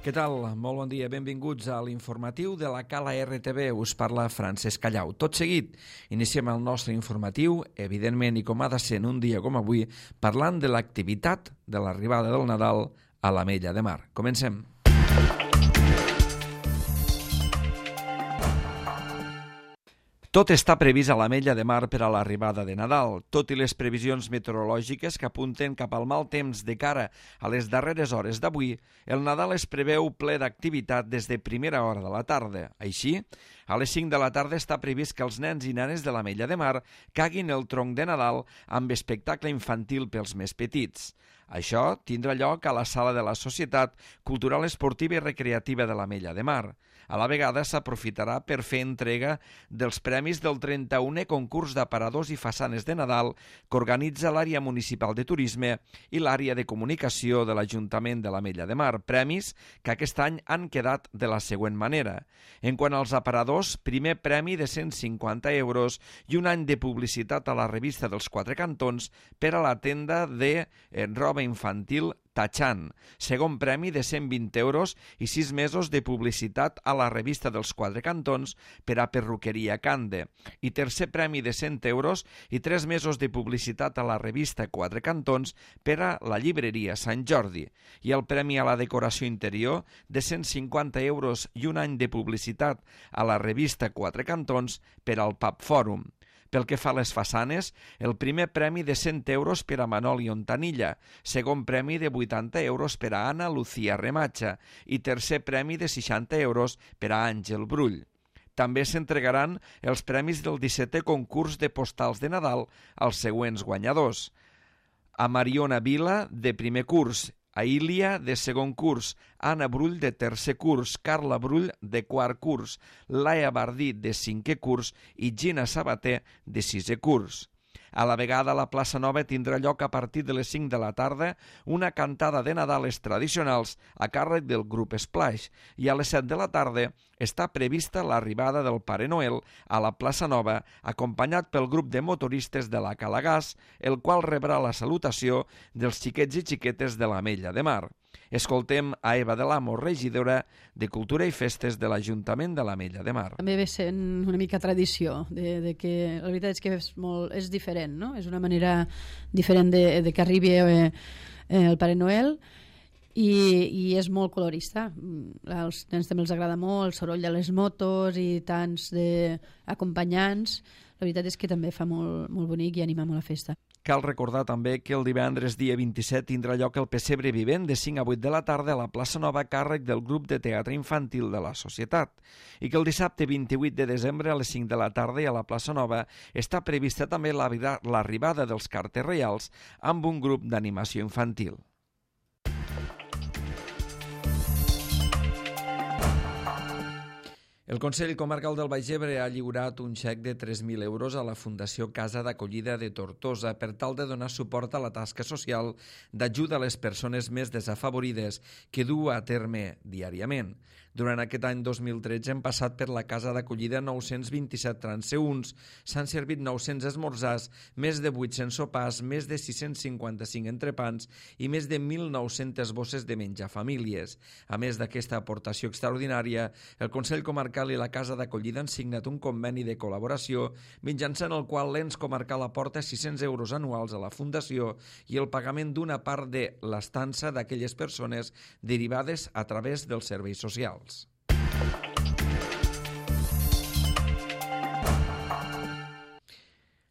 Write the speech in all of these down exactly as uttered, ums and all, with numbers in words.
Què tal? Molt bon dia. Benvinguts a l'informatiu de la Cala R T V. Us parla Francesc Callau. Tot seguit, iniciem el nostre informatiu, evidentment, i com ha de ser en un dia com avui, parlant de l'activitat de l'arribada del Nadal a l'Ametlla de Mar. Comencem. Tot està previst a l'Ametlla de Mar per a l'arribada de Nadal, tot i les previsions meteorològiques que apunten cap al mal temps de cara a les darreres hores d'avui. El Nadal es preveu ple d'activitat des de primera hora de la tarda. Així, a les cinc de la tarda està previst que els nens i nenes de l'Ametlla de Mar caguin el tronc de Nadal amb espectacle infantil pels més petits. Això tindrà lloc a la sala de la Societat Cultural Esportiva i Recreativa de l'Ametlla de Mar. A la vegada s'aprofitarà per fer entrega dels premis del trenta-unè concurs d'aparadors i façanes de Nadal que organitza l'àrea municipal de turisme i l'àrea de comunicació de l'Ajuntament de l'Ametlla de Mar, premis que aquest any han quedat de la següent manera. En quant als aparadors, primer premi de cent cinquanta euros i un any de publicitat a la revista dels Quatre Cantons per a la tenda de roba infantil Tachan. Segon premi de cent vint euros i sis mesos de publicitat a la revista dels Quatre Cantons per a perruqueria Cande. I tercer premi de cent euros i tres mesos de publicitat a la revista Quatre Cantons per a la llibreria Sant Jordi. I el premi a la decoració interior de cent cinquanta euros i un any de publicitat a la revista Quatre Cantons per al Pub Fòrum. Pel que fa a les façanes, el primer premi de cent euros per a Manoli Ontanilla, segon premi de vuitanta euros per a Anna Lucía Rematxa i tercer premi de seixanta euros per a Àngel Brull. També s'entregaran els premis del dissetè concurs de postals de Nadal als següents guanyadors: a Mariona Vila, de primer curs, a Ília, de segon curs, Anna Brull, de tercer curs, Carla Brull, de quart curs, Laia Bardí, de cinquè curs i Gina Sabater, de sisè curs. A la vegada, a la plaça Nova tindrà lloc a partir de les cinc de la tarda una cantada de Nadales tradicionals a càrrec del grup Splash i a les set de la tarda està prevista l'arribada del Pare Noel a la plaça Nova acompanyat pel grup de motoristes de la Calagàs, el qual rebrà la salutació dels xiquets i xiquetes de l'Ametlla de Mar. Escoltem a Eva de l'Amo, regidora de Cultura i Festes de l'Ajuntament de l'Ametlla de Mar. També ve sent una mica tradició, de, de que la veritat és que és, molt, és diferent, no? És una manera diferent de, de que arribi eh, el Pare Noel i, i és molt colorista. Als nens també els agrada molt el soroll de les motos i tants d'acompanyants. La veritat és que també fa molt, molt bonic i anima molt la festa. Cal recordar també que el divendres dia vint-i-set tindrà lloc el Pessebre Vivent de cinc a vuit de la tarda a la plaça Nova a càrrec del grup de teatre infantil de la Societat i que el dissabte vint-i-vuit de desembre a les cinc de la tarda i a la plaça Nova està prevista també l'arribada dels Cartes Reials amb un grup d'animació infantil. El Consell Comarcal del Baix Ebre ha lliurat un xec de tres mil euros a la Fundació Casa d'Acollida de Tortosa per tal de donar suport a la tasca social d'ajuda a les persones més desafavorides que du a terme diàriament. Durant aquest any dos mil tretze hem passat per la Casa d'Acollida nou-cents vint-i-set transeünts, s'han servit nou-cents esmorzars, més de vuit-cents sopars, més de sis-cents cinquanta-cinc entrepans i més de mil nou-centes bosses de menjar a famílies. A més d'aquesta aportació extraordinària, el Consell Comarcal i la Casa d'Acollida han signat un conveni de col·laboració mitjançant el qual l'ens comarcal aporta sis-cents euros anuals a la Fundació i el pagament d'una part de l'estança d'aquelles persones derivades a través dels serveis socials.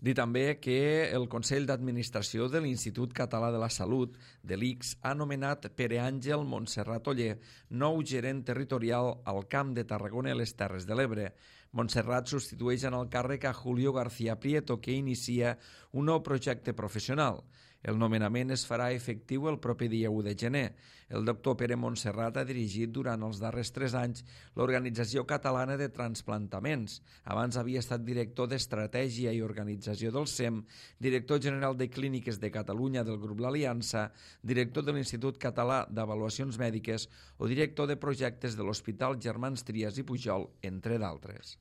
Dir també que el Consell d'Administració de l'Institut Català de la Salut, de l'I C S, ha nomenat Pere Àngel Montserrat Oller, nou gerent territorial al Camp de Tarragona i les Terres de l'Ebre. Montserrat substitueix en el càrrec a Julio García Prieto, que inicia un nou projecte professional. El nomenament es farà efectiu el proper dia u de gener. El doctor Pere Montserrat ha dirigit durant els darrers tres anys l'Organització Catalana de Transplantaments. Abans havia estat director d'Estratègia i Organització del S E M, director general de Clíniques de Catalunya del grup L'Aliança, director de l'Institut Català d'Avaluacions Mèdiques o director de projectes de l'Hospital Germans Trias i Pujol, entre d'altres.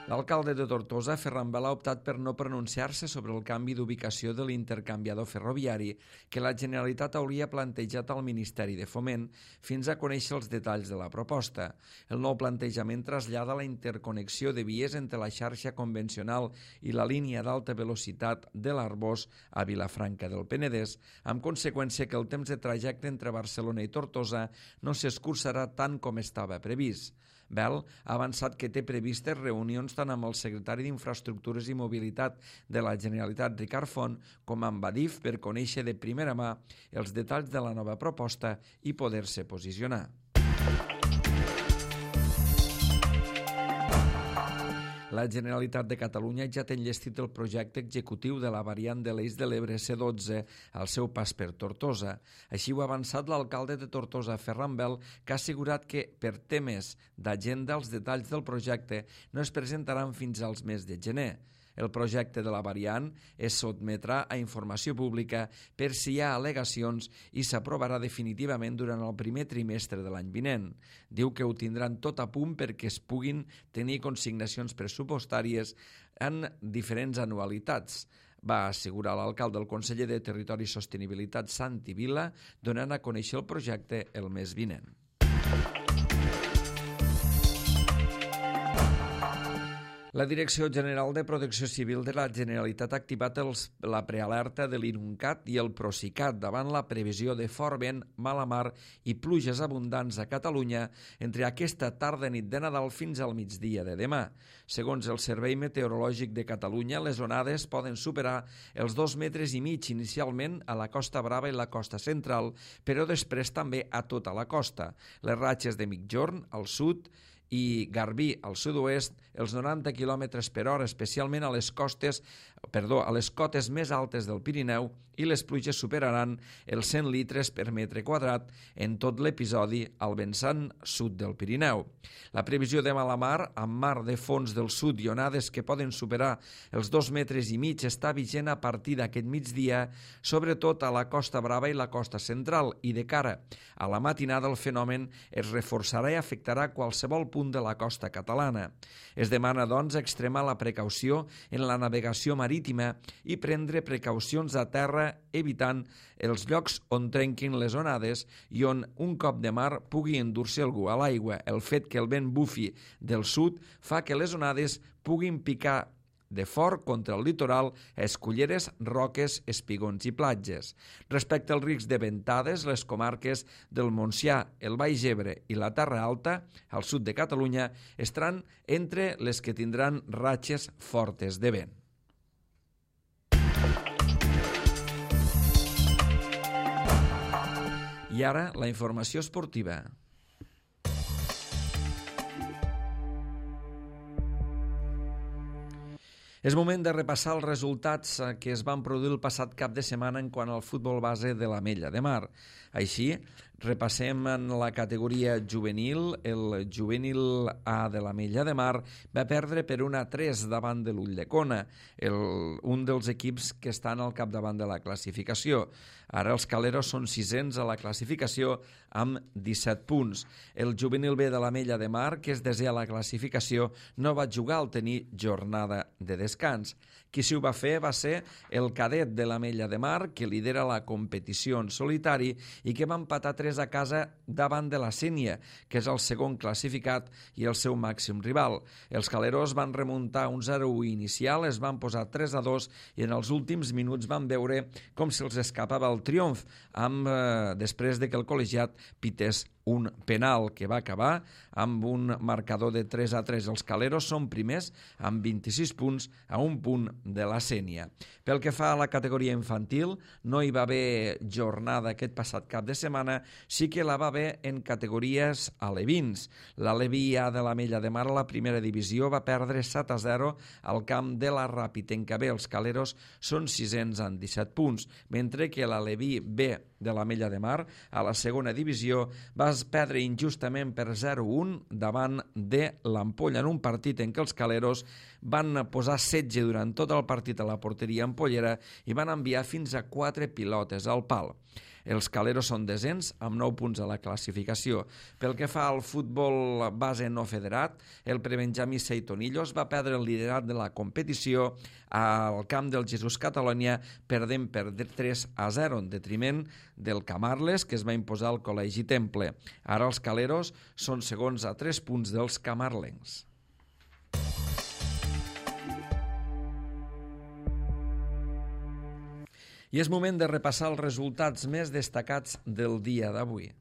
L'alcalde de Tortosa, Ferran Bel, ha optat per no pronunciar-se sobre el canvi d'ubicació de l'intercanviador ferroviari que la Generalitat hauria plantejat al Ministeri de Foment fins a conèixer els detalls de la proposta. El nou plantejament trasllada la interconnexió de vies entre la xarxa convencional i la línia d'alta velocitat de l'Arbós a Vilafranca del Penedès, amb conseqüència que el temps de trajecte entre Barcelona i Tortosa no s'escurçarà tant com estava previst. Bel ha avançat que té previstes reunions tant amb el secretari d'Infraestructures i Mobilitat de la Generalitat, Ricard Font, com amb Adif per conèixer de primera mà els detalls de la nova proposta i poder-se posicionar. La Generalitat de Catalunya ja té enllestit el projecte executiu de la variant de l'Eix de l'Ebre C dotze al seu pas per Tortosa. Així ho ha avançat l'alcalde de Tortosa, Ferran Bel, que ha assegurat que, per temes d'agenda, els detalls del projecte no es presentaran fins als mes de gener. El projecte de la variant es sotmetrà a informació pública per si hi ha al·legacions i s'aprovarà definitivament durant el primer trimestre de l'any vinent. Diu que ho tindran tot a punt perquè es puguin tenir consignacions pressupostàries en diferents anualitats. Va assegurar l'alcalde, el conseller de Territori i Sostenibilitat, Santi Vila, donant a conèixer el projecte el mes vinent. La Direcció General de Protecció Civil de la Generalitat ha activat els, la prealerta de l'INUNCAT i el Procicat davant la previsió de fort vent, mala mar i pluges abundants a Catalunya entre aquesta tarda nit de Nadal fins al migdia de demà. Segons el Servei Meteorològic de Catalunya, les onades poden superar els dos metres i mig inicialment a la Costa Brava i la costa central, però després també a tota la costa. Les ratxes de migjorn al sud i Garbí al sud-oest, els noranta quilòmetres per hora, especialment a les costes, perdó, a les cotes més altes del Pirineu, i les pluges superaran els cent litres per metre quadrat en tot l'episodi al vessant sud del Pirineu. La previsió de mala mar, amb mar de fons del sud i onades que poden superar els dos metres i mig, està vigent a partir d'aquest migdia, sobretot a la Costa Brava i la costa central, i de cara a la matinada el fenomen es reforçarà i afectarà qualsevol punt de la costa catalana. Es demana, doncs, extremar la precaució en la navegació marítima i prendre precaucions a terra, evitant els llocs on trenquin les onades i on un cop de mar pugui endur-se algú a l'aigua. El fet que el vent bufi del sud fa que les onades puguin picar de fort contra el litoral, esculleres, roques, espigons i platges. Respecte al risc de ventades, les comarques del Montsià, el Baix Ebre i la Terra Alta, al sud de Catalunya, estaran entre les que tindran ratxes fortes de vent. I ara, la informació esportiva. És moment de repassar els resultats que es van produir el passat cap de setmana en quant al futbol base de l'Ametlla de Mar. Així, repassem en la categoria juvenil. El juvenil A de l'Ametlla de Mar va perdre per un a tres davant de l'Ulldecona, el, un dels equips que estan al capdavant de la classificació. Ara els Caleros són sisens a la classificació amb disset punts. El juvenil B de l'Ametlla de Mar, que és desè a la classificació, no va jugar al tenir jornada de descans. Qui s'hi va fer va ser el cadet de l'Ametlla de Mar, que lidera la competició en solitari i que va empatar tres a casa davant de la Sénia, que és el segon classificat i el seu màxim rival. Els Caleros van remuntar un zero a u inicial, es van posar tres a dos i en els últims minuts van veure com se'ls escapava el triomf, amb, eh, després de que el col·legiat pités un penal que va acabar amb un marcador de tres a tres. Els Caleros són primers amb vint-i-sis punts a un punt de la Sénia. Pel que fa a la categoria infantil, no hi va haver jornada aquest passat cap de setmana, sí que la va haver en categories alevins. L'Aleví A de l'Ametlla de Mar a la primera divisió va perdre set a zero al camp de la Ràpita B. Els Caleros són sisens amb disset punts, mentre que l'Aleví B de l'Ametlla de Mar a la segona divisió va perdre injustament per zero a un davant de l'Ampolla en un partit en què els Caleros van posar setge durant tot el partit a la porteria ampollera i van enviar fins a quatre pilotes al pal. Els Caleros són desens amb nou punts a la classificació. Pel que fa al futbol base no federat, el prebenjamí Seitonillos va perdre el liderat de la competició al camp del Jesús Catalunya, perdent per tres a zero en detriment del Camarles, que es va imposar al Col·legi Temple. Ara els Caleros són segons a tres punts dels camarlencs. I és moment de repassar els resultats més destacats del dia d'avui.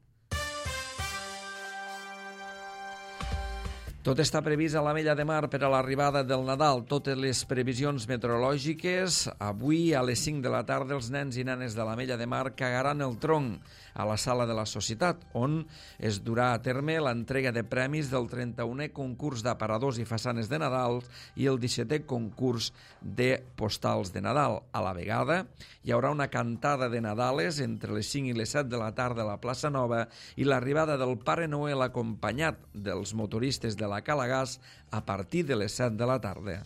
Tot està previst a l'Ametlla de Mar per a l'arribada del Nadal. Totes les previsions meteorològiques. Avui, a les cinc de la tarda, els nens i nenes de l'Ametlla de Mar cagaran el tronc a la sala de la Societat, on es durà a terme l'entrega de premis del trenta-unè concurs d'aparadors i façanes de Nadal i el dissetè concurs de postals de Nadal. A la vegada, hi haurà una cantada de Nadales entre les cinc i les set de la tarda a la plaça Nova i l'arribada del Pare Noel acompanyat dels motoristes de la Calagàs a partir de les set de la tarda.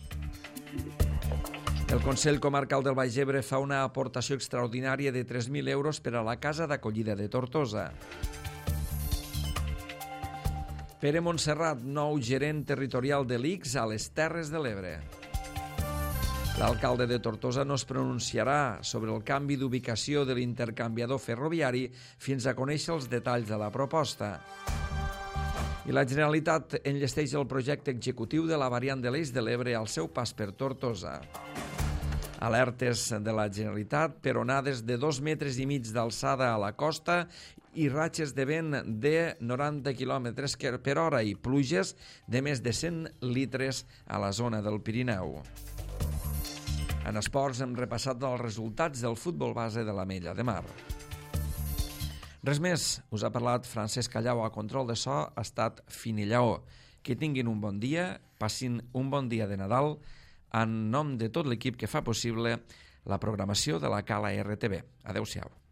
El Consell Comarcal del Baix Ebre fa una aportació extraordinària de tres mil euros per a la Casa d'Acollida de Tortosa. Pere Montserrat, nou gerent territorial de l'I C S a les Terres de l'Ebre. L'alcalde de Tortosa no es pronunciarà sobre el canvi d'ubicació de l'intercanviador ferroviari fins a conèixer els detalls de la proposta. I la Generalitat enllesteix el projecte executiu de la variant de l'Eix de l'Ebre al seu pas per Tortosa. Alertes de la Generalitat per onades de dos metres i mig d'alçada a la costa i ratxes de vent de noranta quilòmetres per hora i pluges de més de cent litres a la zona del Pirineu. En esports hem repassat els resultats del futbol base de l'Ametlla de Mar. Res més, us ha parlat Francesc Callau a control de so, ha estat Finillaó. Que tinguin un bon dia, passin un bon dia de Nadal, en nom de tot l'equip que fa possible la programació de la Cala R T B. Adéu-siau.